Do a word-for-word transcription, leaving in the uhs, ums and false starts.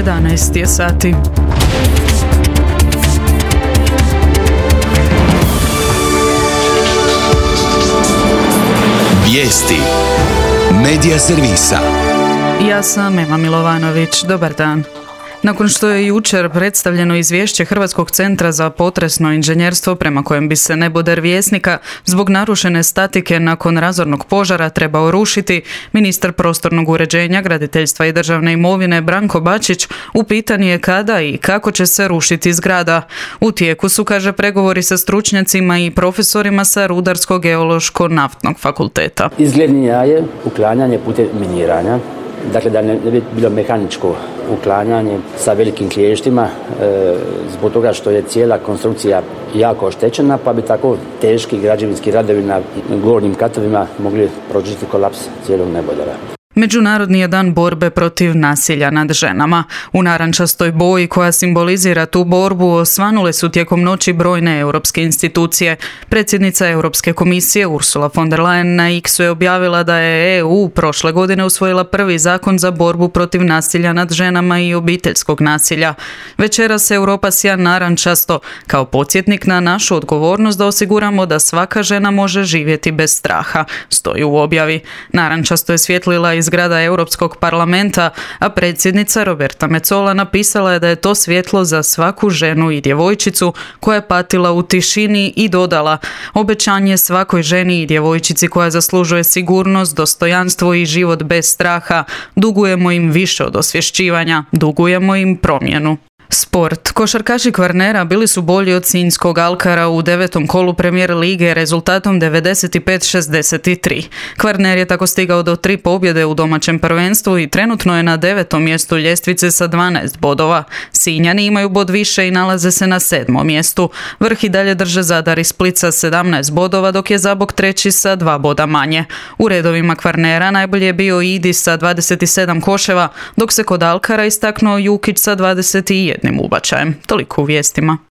jedanaest je sati. Vijesti Medija servisa. Ja sam Ema Milovanović. Dobar dan. Nakon što je jučer predstavljeno izvješće Hrvatskog centra za potresno inženjerstvo prema kojem bi se neboder Vjesnika zbog narušene statike nakon razornog požara trebao rušiti, ministar prostornog uređenja, graditeljstva i državne imovine Branko Bačić upitan je kada i kako će se rušiti zgrada. U tijeku su, kaže, pregovori sa stručnjacima i profesorima sa Rudarsko-geološko-naftnog fakulteta. Izglednija je uklanjanje putem miniranja. Dakle, da ne bi bilo mehaničko uklanjanje sa velikim kliještima, e, zbog toga što je cijela konstrukcija jako oštećena, pa bi tako teški građevinski radovi na gornjim katovima mogli prožiti kolaps cijelog nebodera. Međunarodni je dan borbe protiv nasilja nad ženama. U narančastoj boji koja simbolizira tu borbu osvanule su tijekom noći brojne europske institucije. Predsjednica Europske komisije Ursula von der Leyen na X-u je objavila da je E U prošle godine usvojila prvi zakon za borbu protiv nasilja nad ženama i obiteljskog nasilja. Večeras se Europa sija narančasto kao podsjetnik na našu odgovornost da osiguramo da svaka žena može živjeti bez straha, stoji u objavi. Narančasto je svjetlila iz zgrada Europskog parlamenta, a predsjednica Roberta Metsola napisala je da je to svjetlo za svaku ženu i djevojčicu koja je patila u tišini i dodala: obećanje svakoj ženi i djevojčici koja zaslužuje sigurnost, dostojanstvo i život bez straha. Dugujemo im više od osvješćivanja, dugujemo im promjenu. Sport. Košarkaši Kvarnera bili su bolji od sinjskog Alkara u devetom kolu Premier lige rezultatom devedeset pet šezdeset tri. Kvarner je tako stigao do tri pobjede u domaćem prvenstvu i trenutno je na devetom mjestu ljestvice sa dvanaest bodova. Sinjani imaju bod više i nalaze se na sedmom mjestu. Vrh i dalje drže Zadar i Split sa sedamnaest bodova, dok je Zabok treći sa dva boda manje. U redovima Kvarnera najbolje je bio Idi sa dvadeset sedam koševa, dok se kod Alkara istaknuo Jukić sa dvadeset jedan ubačajem. Toliko u vijestima.